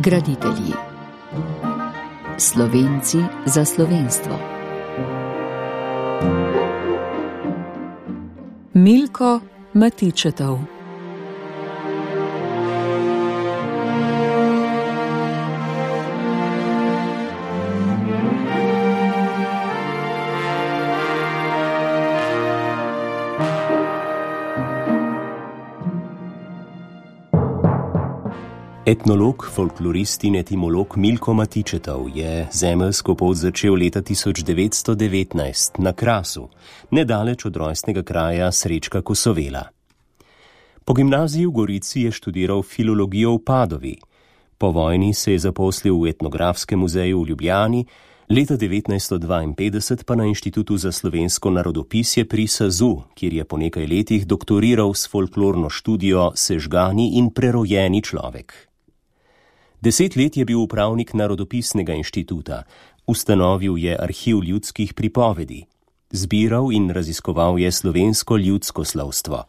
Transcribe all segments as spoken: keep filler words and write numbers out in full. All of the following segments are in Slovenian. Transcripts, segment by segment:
Graditelji. Slovenci za slovenstvo. Milko Matičetov. Etnolog, folklorist in etimolog Milko Matičetov je zemeljsko pot začel leta tisoč devetsto devetnajst na Krasu, nedaleč od rojstnega kraja Srečka Kosovela. Po gimnaziji v Gorici je študiral filologijo v Padovi. Po vojni se je zaposlil v Etnografskem muzeju v Ljubljani, leta devetnajststo dvainpetdeset pa na Inštitutu za slovensko narodopisje pri Sazu, kjer je po nekaj letih doktoriral s folklorno študijo Sežgani in prerojeni človek. Deset let je bil upravnik Narodopisnega inštituta, ustanovil je arhiv ljudskih pripovedi, zbiral in raziskoval je slovensko ljudsko slovstvo.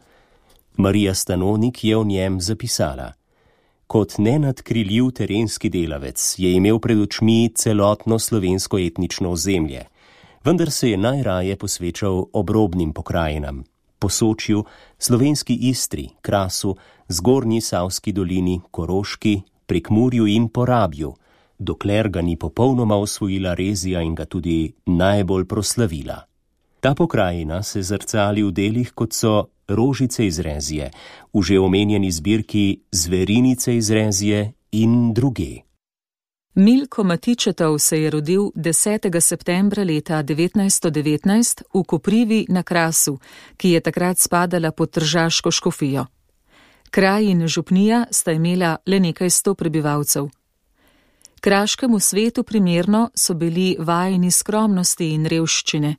Marija Stanonik je o njem zapisala: Kot nenadkriljiv terenski delavec je imel pred očmi celotno slovensko etnično ozemlje, vendar se je najraje posvečal obrobnim pokrajinam, Posočju, slovenski Istri, Krasu, Zgornji Savski dolini, Koroški, Prekmurju in Porabju, dokler ga ni popolnoma osvojila Rezija in ga tudi najbolj proslavila. Ta pokrajina se zrcali v delih, kot so Rožice iz Rezije, v že omenjeni zbirki Zverinice iz Rezije in druge. Milko Matičetov se je rodil desetega septembra leta devetnajststo devetnajst v Koprivi na Krasu, ki je takrat spadala pod tržaško škofijo. Kraj in župnija sta imela le nekaj sto prebivalcev. Kraškemu svetu primerno so bili vajeni skromnosti in revščine.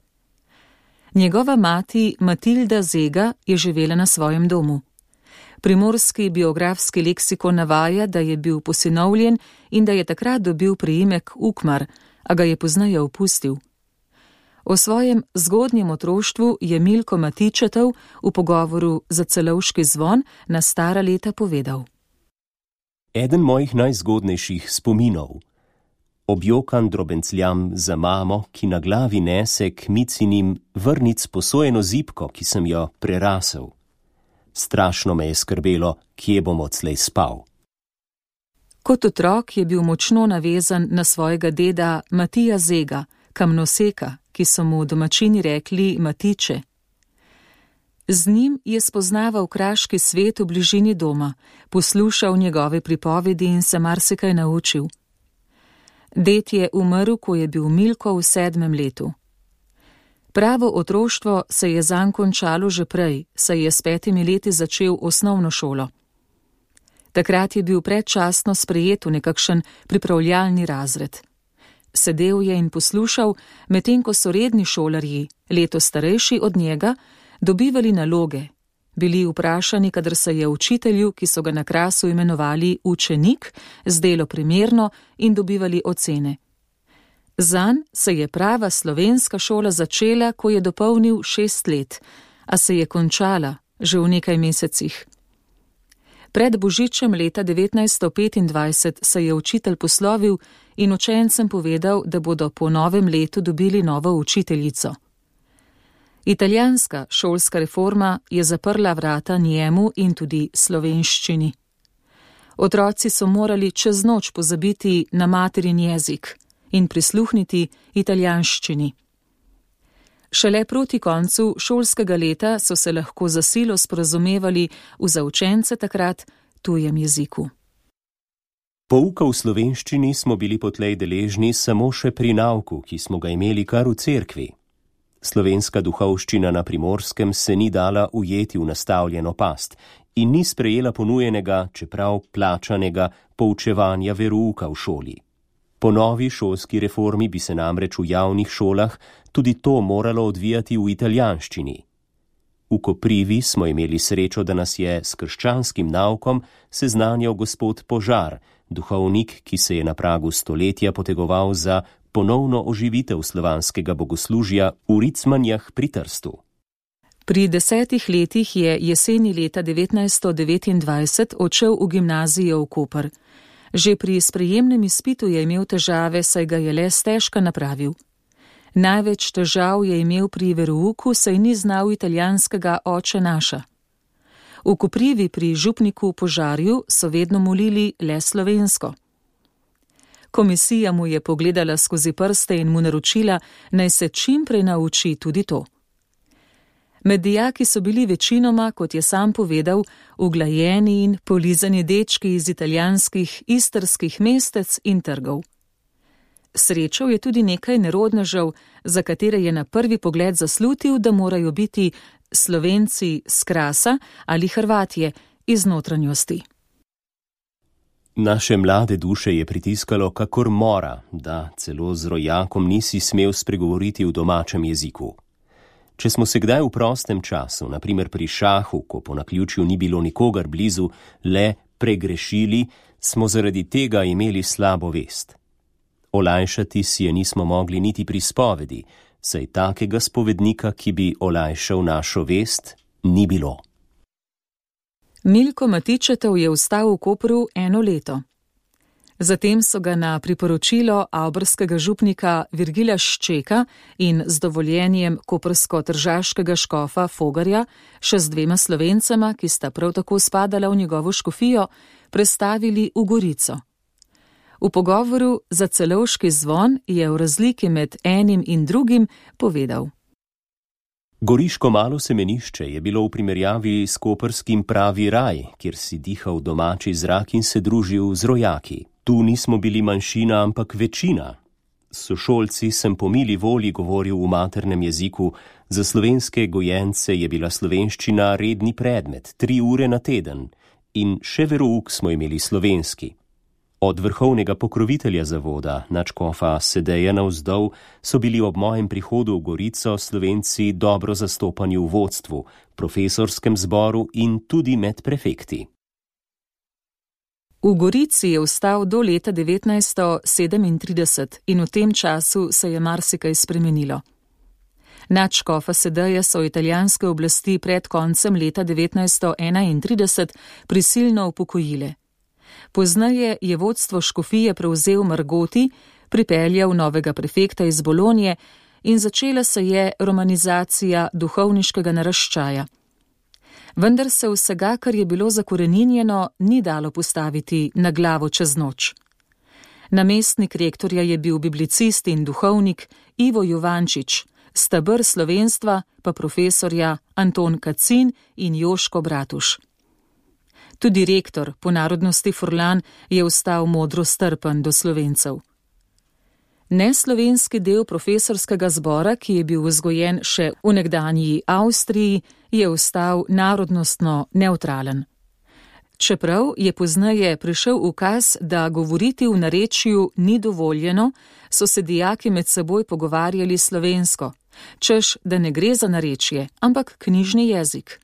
Njegova mati Matilda Zega je živela na svojem domu. Primorski biografski leksikon navaja, da je bil posinovljen in da je takrat dobil priimek Ukmar, a ga je pozneje opustil. O svojem zgodnjem otroštvu je Milko Matičetov v pogovoru za Celovški zvon na stara leta povedal. Eden mojih najzgodnejših spominov. Objokan drobencljam za mamo, ki na glavi nese k micinim vrnic posojeno zibko, ki sem jo prerasel. Strašno me je skrbelo, kje bom odslej spal. Kot otrok je bil močno navezan na svojega deda Matija Zega, kamnoseka, ki so mu domačini rekli Matiče. Z njim je spoznaval kraški svet v bližini doma, poslušal njegove pripovedi in se marsikaj naučil. Ded je umrl, ko je bil Milko v sedmem letu. Pravo otroštvo se je zanj končalo že prej, saj je s petimi leti začel osnovno šolo. Takrat je bil predčasno sprejet v nekakšen pripravljalni razred. Sedel je in poslušal, medtem ko so redni šolarji, leto starejši od njega, dobivali naloge, bili vprašani, kadar se je učitelju, ki so ga na Krasu imenovali učenik, zdelo primerno in dobivali ocene. Zanj se je prava slovenska šola začela, ko je dopolnil šest let, a se je končala že v nekaj mesecih. Pred božičem leta devetnajststo petindvajset se je učitelj poslovil in učencem povedal, da bodo po novem letu dobili novo učiteljico. Italijanska šolska reforma je zaprla vrata njemu in tudi slovenščini. Otroci so morali čez noč pozabiti na materin jezik in prisluhniti italijanščini. Šele proti koncu šolskega leta so se lahko za silo sporazumevali v za učence takrat tujem jeziku. Pouka v slovenščini smo bili potlej deležni samo še pri nauku, ki smo ga imeli kar v cerkvi. Slovenska duhovščina na Primorskem se ni dala ujeti v nastavljeno past in ni sprejela ponujenega, čeprav plačanega, poučevanja verouka v šoli. Po novi šolski reformi bi se namreč v javnih šolah tudi to moralo odvijati v italijanščini. V Koprivi smo imeli srečo, da nas je s krščanskim naukom seznanjal gospod Požar, duhovnik, ki se je na pragu stoletja potegoval za ponovno oživitev slovanskega bogoslužja v Ricmanjah pri Trstu. Pri desetih letih je jeseni leta devetnajststo devetindvajset odšel v gimnazijo v Koper. Že pri sprejemnem izpitu je imel težave, saj ga je le stežka napravil. Največ težav je imel pri verouku, saj ni znal italijanskega Oče naša. V Koprivi pri župniku Požarju so vedno molili le slovensko. Komisija mu je pogledala skozi prste in mu naročila, naj se čim prej nauči tudi to. Med dijaki so bili večinoma, kot je sam povedal, uglajeni in polizani dečki iz italijanskih, istrskih mestec in trgov. Srečal je tudi nekaj nerodnežev, za katere je na prvi pogled zaslutil, da morajo biti Slovenci s Krasa ali Hrvatje iz notranjosti. Naše mlade duše je pritiskalo kakor mora, da celo z rojakom nisi smel spregovoriti v domačem jeziku. Če smo se kdaj v prostem času, na primer pri šahu, ko po naključju ni bilo nikogar blizu, le pregrešili, smo zaradi tega imeli slabo vest. Olajšati si je nismo mogli niti pri spovedi, saj takega spovednika, ki bi olajšal našo vest, ni bilo. Milko Matičetov je ostal v Kopru eno leto. Zatem so ga na priporočilo avbrskega župnika Virgila Ščeka in z dovoljenjem koprsko-tržaškega škofa Fogarja, še z dvema Slovencema, ki sta prav tako spadala v njegovo škofijo, prestavili v Gorico. V pogovoru za Celovški zvon je v razliki med enim in drugim povedal: Goriško malo semenišče je bilo v primerjavi s koprskim pravi raj, kjer si dihal domači zrak in se družil z rojaki. Tu nismo bili manjšina, ampak večina. S sošolci sem po mili volji govoril v maternem jeziku, za slovenske gojence je bila slovenščina redni predmet, tri ure na teden, in še verouk smo imeli slovenski. Od vrhovnega pokrovitelja zavoda, nadškofa Sedeja navzdol, so bili ob mojem prihodu v Gorico Slovenci dobro zastopani v vodstvu, profesorskem zboru in tudi med prefekti. V Gorici je ostal do leta devetnajststo sedemintrideset in v tem času se je marsikaj spremenilo. Nadškofa Sedeja so italijanske oblasti pred koncem leta devetnajststo enaintrideset prisilno upokojile. Poznaje je vodstvo škofije prevzel Margoti, pripeljal novega prefekta iz Bolonje in začela se je romanizacija duhovniškega naraščaja. Vendar se vsega, kar je bilo zakoreninjeno, ni dalo postaviti na glavo čez noč. Namestnik rektorja je bil biblicist in duhovnik Ivo Jovančič, steber slovenstva pa profesorja Anton Kacin in Joško Bratuš. Tudi rektor, po narodnosti Furlan, je ostal modro strpen do Slovencev. Neslovenski del profesorskega zbora, ki je bil vzgojen še v nekdanji Avstriji, je ostal narodnostno nevtralen. Čeprav je pozneje prišel ukaz, da govoriti v narečju ni dovoljeno, so se dijaki med seboj pogovarjali slovensko, češ, da ne gre za narečje, ampak knjižni jezik.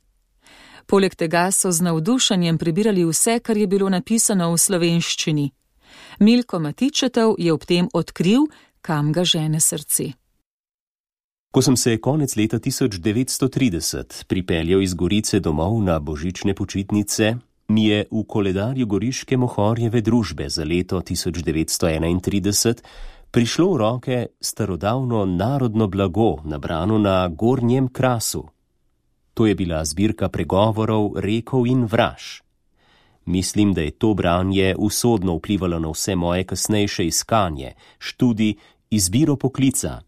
Poleg tega so z navdušenjem prebirali vse, kar je bilo napisano v slovenščini. Milko Matičetov je ob tem odkril, kam ga žene srce. Ko sem se konec leta tisoč devetsto trideset pripeljal iz Gorice domov na božične počitnice, mi je v koledarju Goriške Mohorjeve družbe za leto tisoč devetsto enaintrideset prišlo v roke starodavno narodno blago, nabrano na Gornjem Krasu. To je bila zbirka pregovorov, rekov in vraž. Mislim, da je to branje usodno vplivalo na vse moje kasnejše iskanje, študij, izbiro poklica.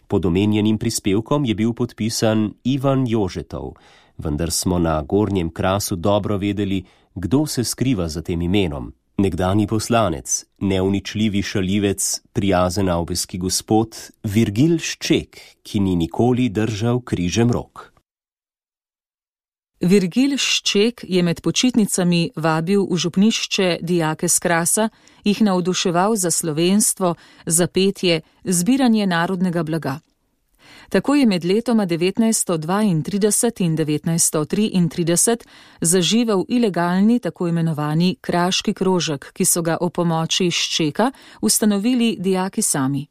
Pod omenjenim prispevkom je bil podpisan Ivan Jožetov, vendar smo na Gornjem Krasu dobro vedeli, kdo se skriva za tem imenom. Nekdanji poslanec, neuničljivi šalivec, prijazen avbeski gospod Virgil Šček, ki ni nikoli držal križem rok. Virgil Šček je med počitnicami vabil v župnišče dijake s Krasa, jih navduševal za slovenstvo, za petje, zbiranje narodnega blaga. Tako je med letoma devetnajststo dvaintrideset in devetnajststo triintrideset zaživel ilegalni tako imenovani kraški krožek, ki so ga ob pomoči Ščeka ustanovili dijaki sami.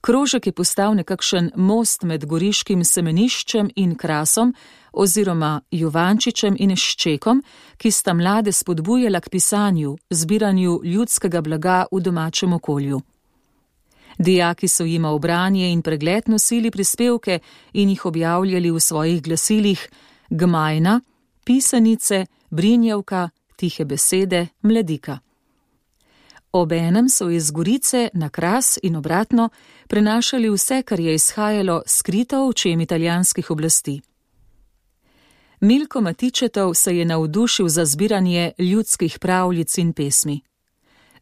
Krožek je postal nekakšen most med goriškim semeniščem in Krasom, oziroma Jovančičem in Ščekom, ki sta mlade spodbujala k pisanju, zbiranju ljudskega blaga v domačem okolju. Dijaki so jima v branje in pregled nosili prispevke in jih objavljali v svojih glasilih Gmajna, Pisanice, Brinjevka, Tihe besede, Mladika. Obenem so iz Gorice na Kras in obratno prenašali vse, kar je izhajalo skrito v očem italijanskih oblasti. Milko Matičetov se je navdušil za zbiranje ljudskih pravljic in pesmi.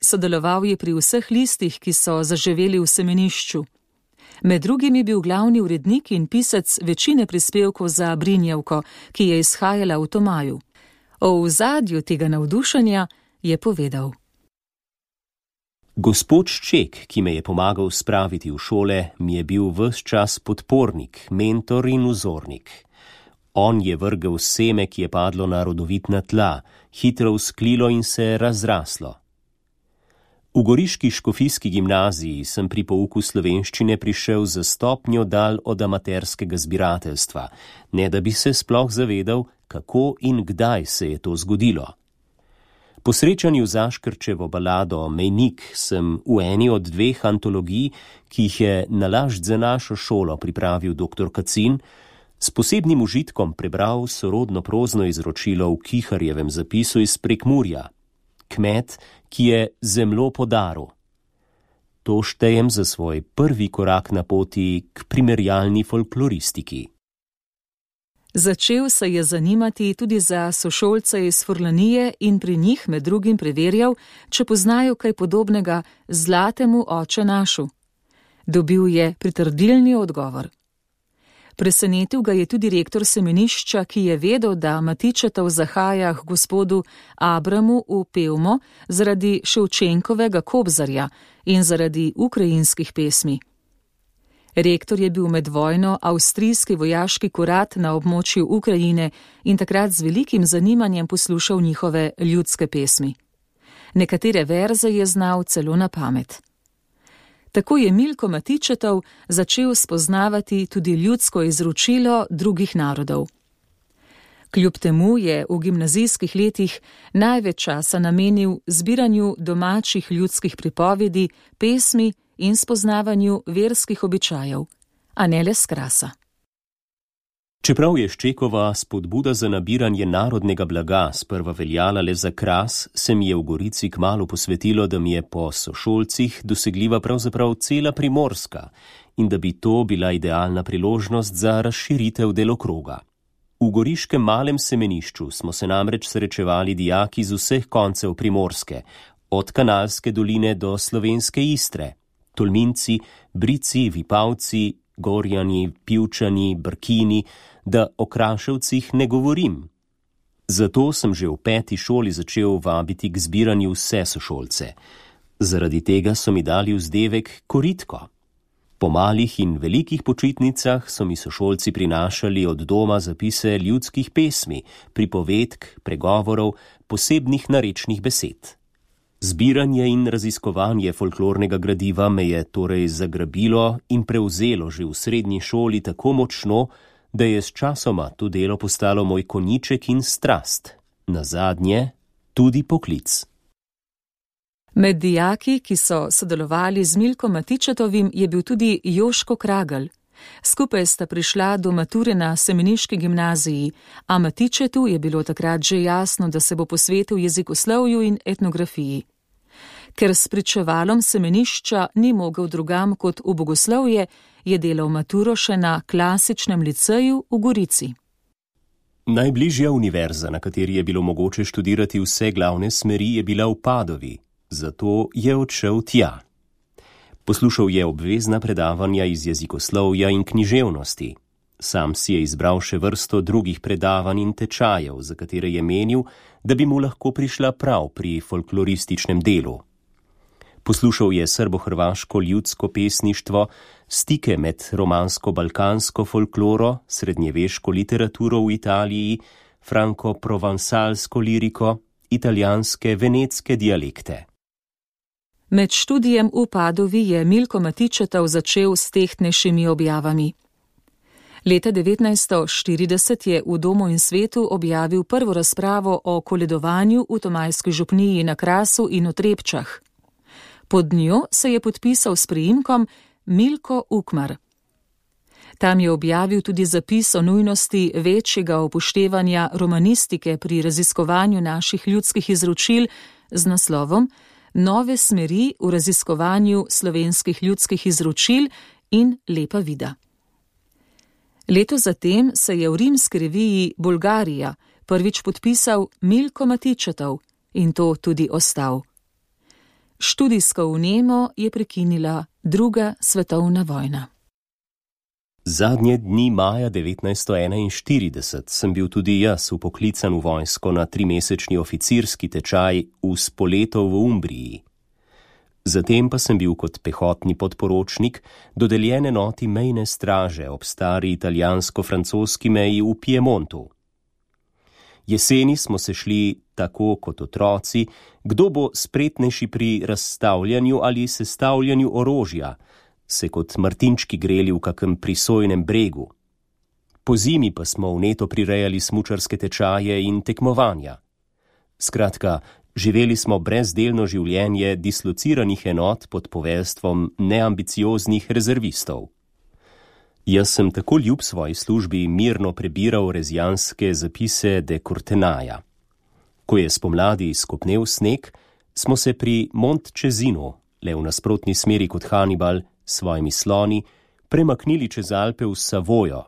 Sodeloval je pri vseh listih, ki so zaživeli v semenišču. Med drugim je bil glavni urednik in pisec večine prispevkov za Brinjevko, ki je izhajala v Tomaju. O ozadju tega navdušenja je povedal. Gospod Šček, ki me je pomagal spraviti v šole, mi je bil ves čas podpornik, mentor in vzornik. On je vrgel seme, ki je padlo na rodovitna tla, hitro vzklilo in se razraslo. V goriški škofijski gimnaziji sem pri pouku slovenščine prišel za stopnjo dal od amaterskega zbirateljstva, ne da bi se sploh zavedal, kako in kdaj se je to zgodilo. Po srečanju z Aškerčevo balado Mejnik sem v eni od dveh antologij, ki jih je nalašč za našo šolo pripravil doktor Kacin, s posebnim užitkom prebral sorodno prozno izročilo v Kiharjevem zapisu iz Prekmurja. Kmet, ki je zemljo podaril. To štejem za svoj prvi korak na poti k primerjalni folkloristiki. Začel se je zanimati tudi za sošolce iz Furlanije in pri njih med drugim preverjal, če poznajo kaj podobnega Zlatemu oče našu. Dobil je pritrdilni odgovor. Presenetil ga je tudi rektor semenišča, ki je vedel, da Matičetov zahaja k gospodu Abramu v Pevmo zaradi Ševčenkovega Kobzarja in zaradi ukrajinskih pesmi. Rektor je bil med vojno avstrijski vojaški kurat na območju Ukrajine in takrat z velikim zanimanjem poslušal njihove ljudske pesmi. Nekatere verze je znal celo na pamet. Tako je Milko Matičetov začel spoznavati tudi ljudsko izročilo drugih narodov. Kljub temu je v gimnazijskih letih največ časa namenil zbiranju domačih ljudskih pripovedi, pesmi in spoznavanju verskih običajev, a ne le s Krasa. Čeprav je Ščekova spodbuda za nabiranje narodnega blaga sprva veljala le za Kras, se mi je v Gorici kmalu posvetilo, da mi je po sošolcih dosegljiva pravzaprav cela Primorska in da bi to bila idealna priložnost za razširitev delokroga. V goriškem malem semenišču smo se namreč srečevali dijaki z vseh koncev Primorske, od Kanalske doline do slovenske Istre, Tolminci, Brici, Vipavci, Gorjani, Pivčani, Brkini, da o Kraševcih ne govorim. Zato sem že v peti šoli začel vabiti k zbiranju vse sošolce. Zaradi tega so mi dali vzdevek Koritko. Po malih in velikih počitnicah so mi sošolci prinašali od doma zapise ljudskih pesmi, pripovedk, pregovorov, posebnih narečnih besed. Zbiranje in raziskovanje folklornega gradiva me je torej zagrabilo in prevzelo že v srednji šoli tako močno, da je s časoma to delo postalo moj konjiček in strast, nazadnje tudi poklic. Med dijaki, ki so sodelovali z Milkom Matičetovim, je bil tudi Joško Kragelj. Skupaj sta prišla do mature na semeniški gimnaziji, a Matičetu je bilo takrat že jasno, da se bo posvetil jezikoslovju in etnografiji. Ker s pričevalom semenišča ni mogel drugam kot v bogoslovje, je delal maturo še na klasičnem liceju v Gorici. Najbližja univerza, na kateri je bilo mogoče študirati vse glavne smeri, je bila v Padovi, zato je odšel tja. Poslušal je obvezna predavanja iz jezikoslovja in književnosti. Sam si je izbral še vrsto drugih predavanj in tečajev, za katere je menil, da bi mu lahko prišla prav pri folklorističnem delu. Poslušal je srbo-hrvaško ljudsko pesništvo, stike med romansko-balkansko folkloro, srednjeveško literaturo v Italiji, franko-provansalsko liriko, italijanske, venetske dialekte. Med študijem v Padovi je Milko Matičetov začel s tehtnejšimi objavami. Leta devetnajststo štirideset je v Domu in svetu objavil prvo razpravo o koledovanju v Tomajski župniji na Krasu in v Trepčah. Pod njo se je podpisal s priimkom Milko Ukmar. Tam je objavil tudi zapis o nujnosti večjega upoštevanja romanistike pri raziskovanju naših ljudskih izročil z naslovom Nove smeri v raziskovanju slovenskih ljudskih izročil in Lepa vida. Leto zatem se je v rimski reviji Bolgarija prvič podpisal Milko Matičetov in to tudi ostal. Študijsko vnemo je prekinila druga svetovna vojna. Zadnje dni maja devetnajststo enainštirideset sem bil tudi jaz vpoklican v vojsko na trimesečni oficirski tečaj v Spoleto v Umbriji. Zatem pa sem bil kot pehotni podporočnik dodeljen enoti mejne straže ob stari italijansko-francoski meji v Piemontu. Jeseni smo se šli tako kot otroci, kdo bo spretnejši pri razstavljanju ali sestavljanju orožja, se kot martinčki greli v kakem prisojnem bregu. Po zimi pa smo vneto prirejali smučarske tečaje in tekmovanja. Skratka, živeli smo brezdelno življenje dislociranih enot pod poveljstvom neambicioznih rezervistov. Jaz sem tako ljub svoji službi mirno prebiral rezijanske zapise de Courtenaja. Ko je spomladi skopnel sneg, smo se pri Montčezinu, le v nasprotni smeri kot Hannibal, s svojimi sloni, premaknili čez Alpe v Savojo.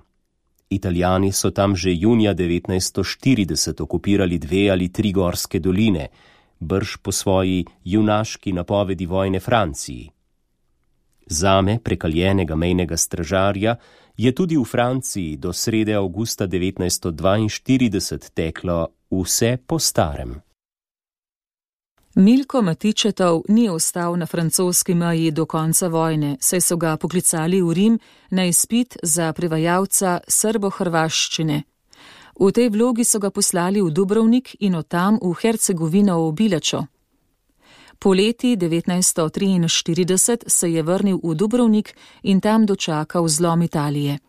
Italijani so tam že junija devetnajststo štirideset okupirali dve ali tri gorske doline, brž po svoji junaški napovedi vojne Franciji. Zame, prekaljenega mejnega stražarja, je tudi v Franciji do srede avgusta devetnajststo dvainštirideset teklo vse po starem. Milko Matičetov ni ostal na francoski meji do konca vojne, saj so ga poklicali v Rim na izpit za prevajalca srbo-hrvaščine. V tej vlogi so ga poslali v Dubrovnik in od tam v Hercegovino v Bilačo. Poleti devetnajststo triinštirideset se je vrnil v Dubrovnik in tam dočakal zlom Italije.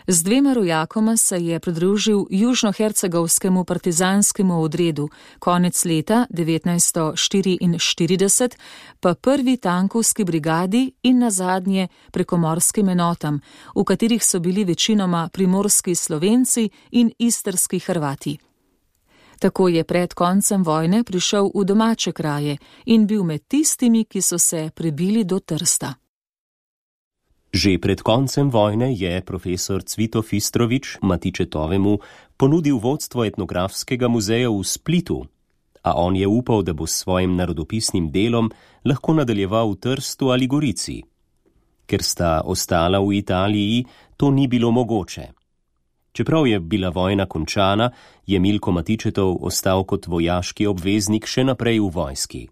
Z dvema rojakoma se je pridružil južnohercegovskemu partizanskemu odredu, konec leta devetnajststo štiriinštirideset pa prvi tankovski brigadi in nazadnje prekomorskim enotam, v katerih so bili večinoma primorski Slovenci in istrski Hrvati. Tako je pred koncem vojne prišel v domače kraje in bil med tistimi, ki so se prebili do Trsta. Že pred koncem vojne je profesor Cvito Fistrovič Matičetovemu ponudil vodstvo etnografskega muzeja v Splitu, a on je upal, da bo s svojim narodopisnim delom lahko nadaljeval v Trstu ali Gorici. Ker sta ostala v Italiji, to ni bilo mogoče. Čeprav je bila vojna končana, je Milko Matičetov ostal kot vojaški obveznik še naprej v vojski.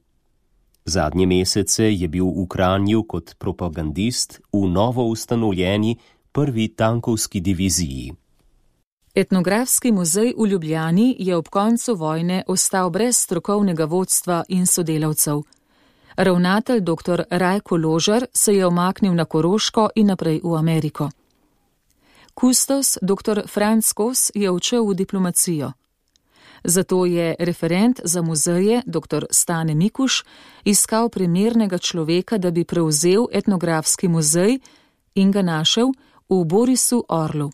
Zadnje mesece je bil v Kranju kot propagandist v novo ustanovljeni prvi tankovski diviziji. Etnografski muzej v Ljubljani je ob koncu vojne ostal brez strokovnega vodstva in sodelavcev. Ravnatelj dr. Rajko Ložar se je omaknil na Koroško in naprej v Ameriko. Kustos dr. Franc Kos je odšel v diplomacijo. Zato je referent za muzeje dr. Stane Mikuš iskal primernega človeka, da bi prevzel etnografski muzej in ga našel v Borisu Orlu.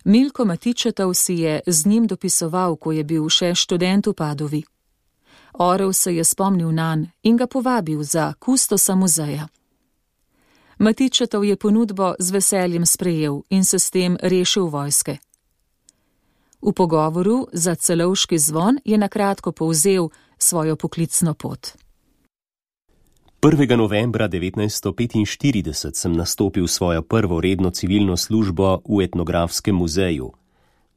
Milko Matičetov si je z njim dopisoval, ko je bil še študent v Padovi. Orel se je spomnil nanj in ga povabil za kustosa muzeja. Matičetov je ponudbo z veseljem sprejel in se s tem rešil vojske. V pogovoru za Celovški zvon je nakratko povzel svojo poklicno pot. prvega novembra devetnajststo petinštirideset sem nastopil svojo prvo redno civilno službo v etnografskem muzeju.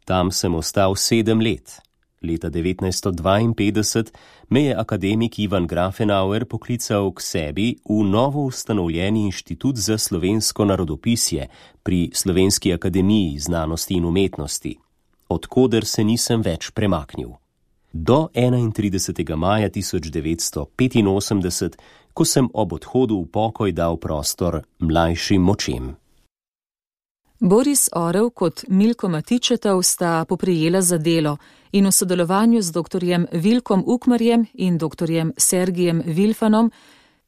Tam sem ostal sedem let. Leta devetnajststo dvainpetdeset me je akademik Ivan Grafenauer poklical k sebi v novo ustanovljeni inštitut za slovensko narodopisje pri Slovenski akademiji znanosti in umetnosti, odkoder se nisem več premaknil. Do enaintridesetega maja tisoč devetsto petinosemdeset, ko sem ob odhodu v pokoj dal prostor mlajšim močem. Boris Orel kot Milko Matičetov sta poprijela za delo in v sodelovanju z doktorjem Vilkom Ukmarjem in doktorjem Sergijem Vilfanom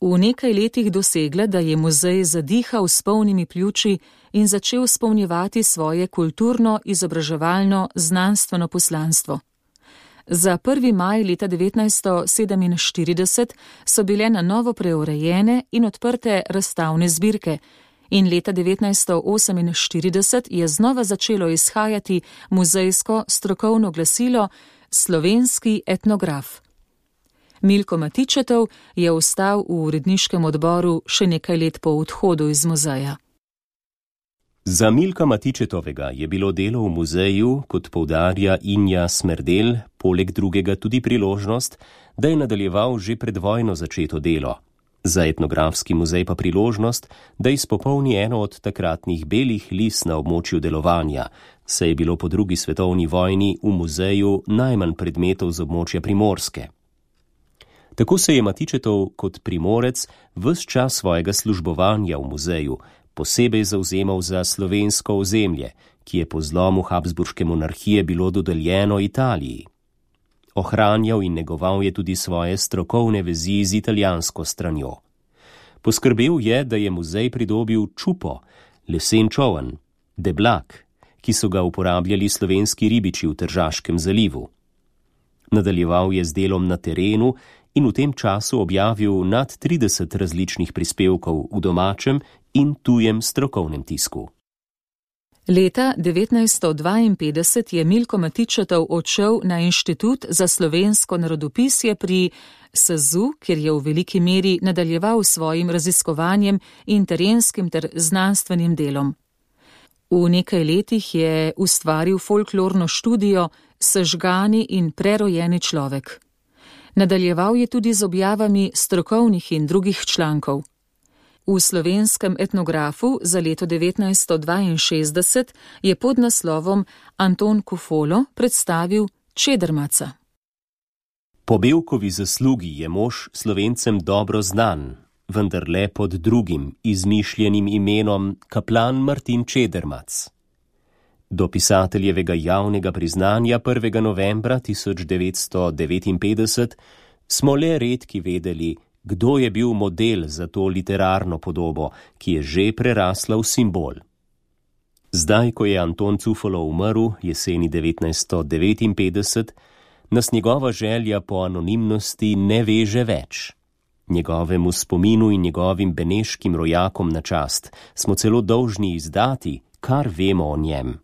v nekaj letih dosegla, da je muzej zadihal s polnimi pljuči in začel izpolnjevati svoje kulturno, izobraževalno, znanstveno poslanstvo. Za prvi maj leta devetnajststo sedeminštirideset so bile na novo preurejene in odprte razstavne zbirke in leta devetnajststo oseminštirideset je znova začelo izhajati muzejsko strokovno glasilo Slovenski etnograf. Milko Matičetov je ostal v uredniškem odboru še nekaj let po odhodu iz muzeja. Za Milka Matičetovega je bilo delo v muzeju, kot poudarja Inja Smerdel, poleg drugega tudi priložnost, da je nadaljeval že pred vojno začeto delo. Za etnografski muzej pa priložnost, da izpopolni eno od takratnih belih lis na območju delovanja, saj je bilo po drugi svetovni vojni v muzeju najmanj predmetov z območja Primorske. Tako se je Matičetov kot Primorec ves čas svojega službovanja v muzeju posebej zavzemal za slovensko ozemlje, ki je po zlomu Habsburške monarhije bilo dodeljeno Italiji. Ohranjal in negoval je tudi svoje strokovne vezi z italijansko stranjo. Poskrbel je, da je muzej pridobil čupo, lesen čoln, deblak, ki so ga uporabljali slovenski ribiči v Tržaškem zalivu. Nadaljeval je z delom na terenu in v tem času objavil nad trideset različnih prispevkov v domačem in tujem strokovnem tisku. Leta devetnajststo dvainpetdeset je Milko Matičetov odšel na Inštitut za slovensko narodopisje pri S Z U, kjer je v veliki meri nadaljeval svojim raziskovanjem in terenskim ter znanstvenim delom. V nekaj letih je ustvaril folklorno študijo Sežgani in prerojeni človek. Nadaljeval je tudi z objavami strokovnih in drugih člankov. V Slovenskem etnografu za leto devetnajststo dvainšestdeset je pod naslovom Anton Kofolo predstavil Čedermaca. Po Bevkovi zaslugi je mož Slovencem dobro znan, vendar le pod drugim izmišljenim imenom kaplan Martin Čedermac. Do pisateljevega javnega priznanja prvega novembra tisoč devetsto devetinpetdeset smo le redki vedeli, kdo je bil model za to literarno podobo, ki je že prerasla v simbol. Zdaj, ko je Anton Cufolo umrl jeseni devetnajststo devetinpetdeset, nas njegova želja po anonimnosti ne veže več. Njegovemu spominu in njegovim beneškim rojakom na čast smo celo dolžni izdati, kar vemo o njem.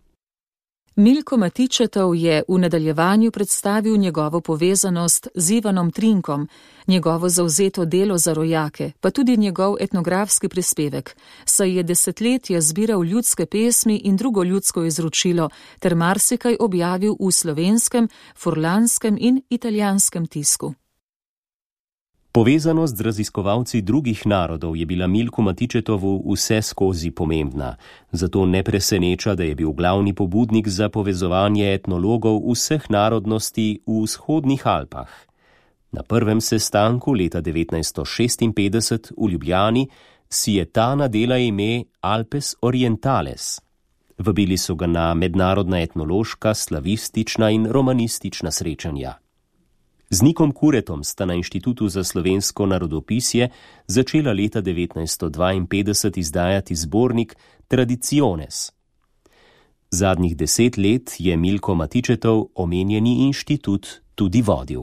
Milko Matičetov je v nadaljevanju predstavil njegovo povezanost z Ivanom Trinkom, njegovo zavzeto delo za rojake, pa tudi njegov etnografski prispevek, saj je desetletja zbiral ljudske pesmi in drugo ljudsko izročilo ter marsikaj objavil v slovenskem, furlanskem in italijanskem tisku. Povezanost z raziskovalci drugih narodov je bila Milku Matičetovu vse skozi pomembna, zato ne preseneča, da je bil glavni pobudnik za povezovanje etnologov vseh narodnosti v vzhodnih Alpah. Na prvem sestanku leta devetnajststo šestinpetdeset v Ljubljani si je ta nadela ime Alpes Orientales. Vabili so ga na mednarodna etnološka, slavistična in romanistična srečanja. Z Nikom Kuretom sta na Inštitutu za slovensko narodopisje začela leta devetnajststo dvainpetdeset izdajati zbornik Tradiciones. Zadnjih deset let je Milko Matičetov omenjeni inštitut tudi vodil.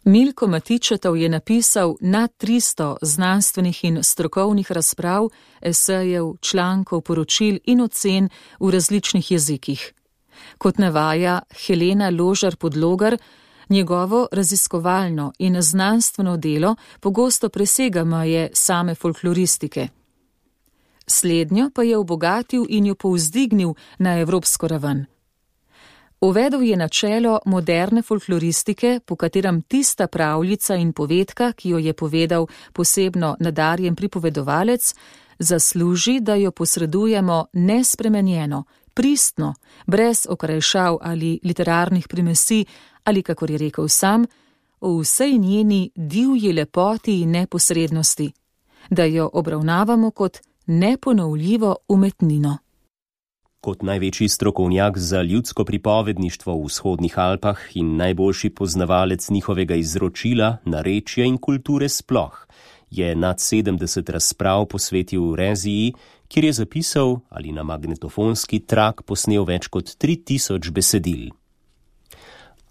Milko Matičetov je napisal nad tristo znanstvenih in strokovnih razprav, esejev, člankov, poročil in ocen v različnih jezikih. Kot navaja Helena Ložar-Podlogar, njegovo raziskovalno in znanstveno delo pogosto presega meje same folkloristike. Slednjo pa je obogatil in jo povzdignil na evropsko raven. Uvedel je načelo moderne folkloristike, po katerem tista pravljica in povedka, ki jo je povedal posebno nadarjen pripovedovalec, zasluži, da jo posredujemo nespremenjeno, pristno, brez okrajšav ali literarnih primesi, ali, kakor je rekel sam, o vsej njeni divji lepoti in neposrednosti, da jo obravnavamo kot neponovljivo umetnino. Kot največji strokovnjak za ljudsko pripovedništvo v vzhodnih Alpah in najboljši poznavalec njihovega izročila, narečja in kulture sploh, je nad sedemdeset razprav posvetil Reziji, kjer je zapisal ali na magnetofonski trak posnel več kot tri tisoč besedil.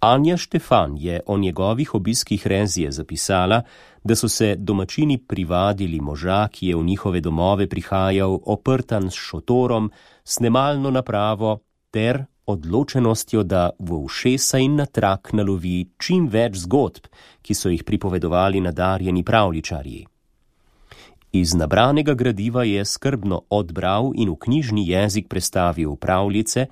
Anja Štefan je o njegovih obiskih Rezije zapisala, da so se domačini privadili moža, ki je v njihove domove prihajal oprtan s šotorom, snemalno napravo ter odločenostjo, da v ušesa in na trak nalovi čim več zgodb, ki so jih pripovedovali nadarjeni pravljičarji. Iz nabranega gradiva je skrbno odbral in v knjižni jezik prestavil pravljice,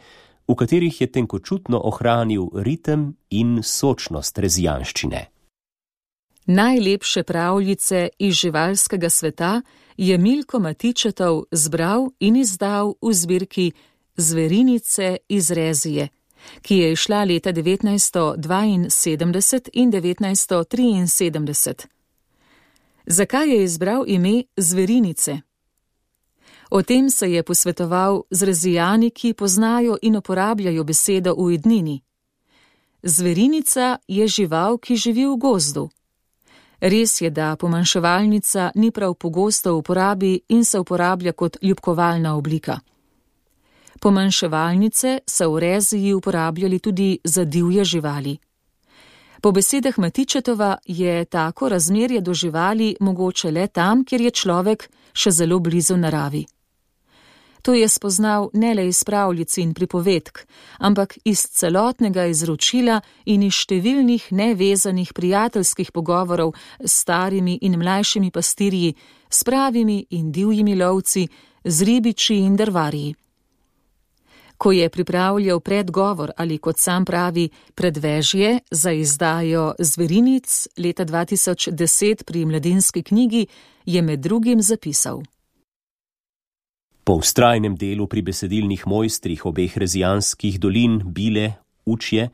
v katerih je tenkočutno ohranil ritem in sočnost rezijanščine. Najlepše pravljice iz živalskega sveta je Milko Matičetov zbral in izdal v zbirki Zverinice iz Rezije, ki je izšla leta devetnajststo dvainsedemdeset in devetnajststo triinsedemdeset. Zakaj je izbral ime Zverinice? O tem se je posvetoval z Rezijani, ki poznajo in uporabljajo besedo v ednini. Zverinica je žival, ki živi v gozdu. Res je, da pomanjševalnica ni prav pogosto v uporabi in se uporablja kot ljubkovalna oblika. Pomanjševalnice so v Reziji uporabljali tudi za divje živali. Po besedah Matičetova je tako razmerje do živali mogoče le tam, kjer je človek še zelo blizu naravi. To je spoznal ne le iz pravljic in pripovedk, ampak iz celotnega izročila in iz številnih nevezanih prijateljskih pogovorov s starimi in mlajšimi pastirji, s pravimi in divjimi lovci, z ribiči in drvarji. Ko je pripravljal predgovor ali, kot sam pravi, predvežje za izdajo Zverinic leta dva tisoč deset pri Mladinski knjigi, je med drugim zapisal: Po vztrajnem delu pri besedilnih mojstrih obeh rezijanskih dolin, Bile, Učje,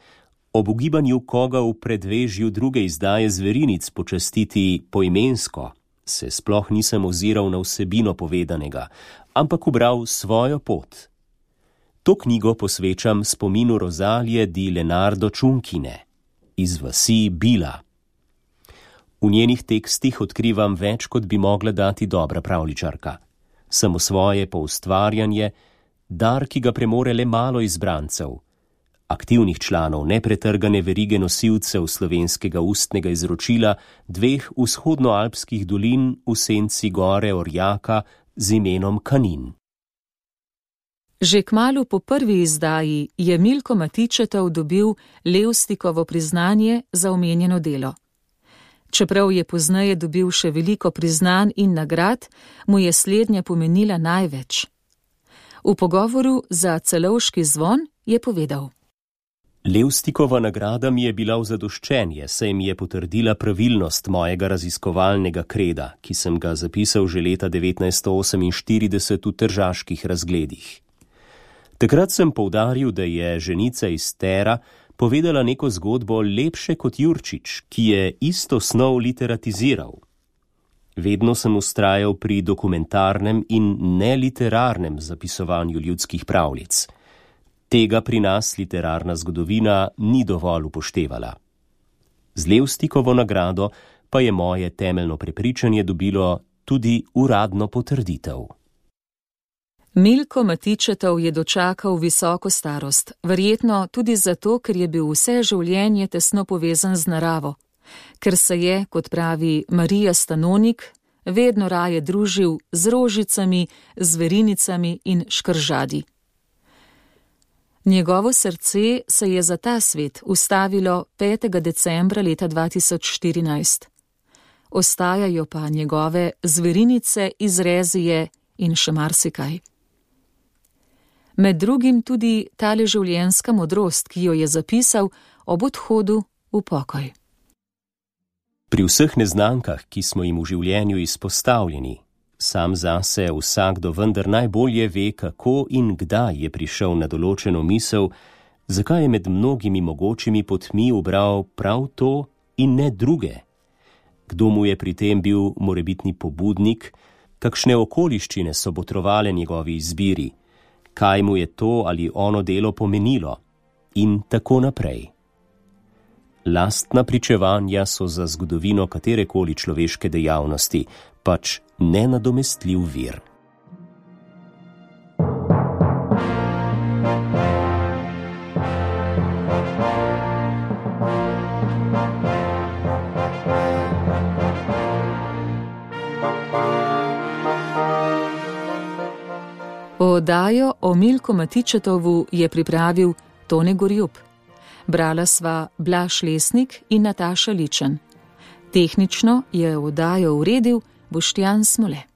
ob ugibanju koga v predvežju druge izdaje Zverinic počastiti poimensko, se sploh nisem oziral na vsebino povedanega, ampak ubral svojo pot. To knjigo posvečam spominu Rozalije di Lenardo Čunkine iz vasi Bila. V njenih tekstih odkrivam več, kot bi mogla dati dobra pravljičarka. Samo svoje poustvarjanje, dar, ki ga premore le malo izbrancev, aktivnih članov nepretrgane verige nosilcev slovenskega ustnega izročila dveh vzhodnoalpskih dolin v senci gore Orjaka z imenom Kanin. Že kmalu po prvi izdaji je Milko Matičetov dobil Levstikovo priznanje za omenjeno delo. Čeprav je pozneje dobil še veliko priznanj in nagrad, mu je slednja pomenila največ. V pogovoru za Celovški zvon je povedal: Levstikova nagrada mi je bila v zadoščenje, saj mi je potrdila pravilnost mojega raziskovalnega kreda, ki sem ga zapisal že leta devetnajststo oseminštirideset v Tržaških razgledih. Takrat sem poudaril, da je ženica iz Tera povedala neko zgodbo lepše kot Jurčič, ki je isto snov literatiziral. Vedno sem vztrajal pri dokumentarnem in neliterarnem zapisovanju ljudskih pravljic. Tega pri nas literarna zgodovina ni dovolj upoštevala. Z Levstikovo nagrado pa je moje temeljno prepričanje dobilo tudi uradno potrditev. Milko Matičetov je dočakal visoko starost, verjetno tudi zato, ker je bil vse življenje tesno povezan z naravo, ker se je, kot pravi Marija Stanonik, vedno raje družil z rožicami, zverinicami in škržadi. Njegovo srce se je za ta svet ustavilo petega decembra leta dva tisoč štirinajst. Ostajajo pa njegove Zverinice iz Rezije in še marsikaj. Med drugim tudi tale življenjska modrost, ki jo je zapisal ob odhodu v pokoj. Pri vseh neznankah, ki smo jim v življenju izpostavljeni, sam zase vsakdo vendar najbolje ve, kako in kdaj je prišel na določeno misel, zakaj je med mnogimi mogočimi potmi ubral prav to in ne druge, kdo mu je pri tem bil morebitni pobudnik, kakšne okoliščine so botrovale njegovi izbiri, kaj mu je to ali ono delo pomenilo in tako naprej. Lastna pričevanja so za zgodovino katerekoli človeške dejavnosti pač nenadomestljiv vir. Oddajo o Milku Matičetovu je pripravil Tone Gorjup. Brala sva Blaž Lesnik in Nataša Ličen. Tehnično je oddajo uredil Boštjan Smole.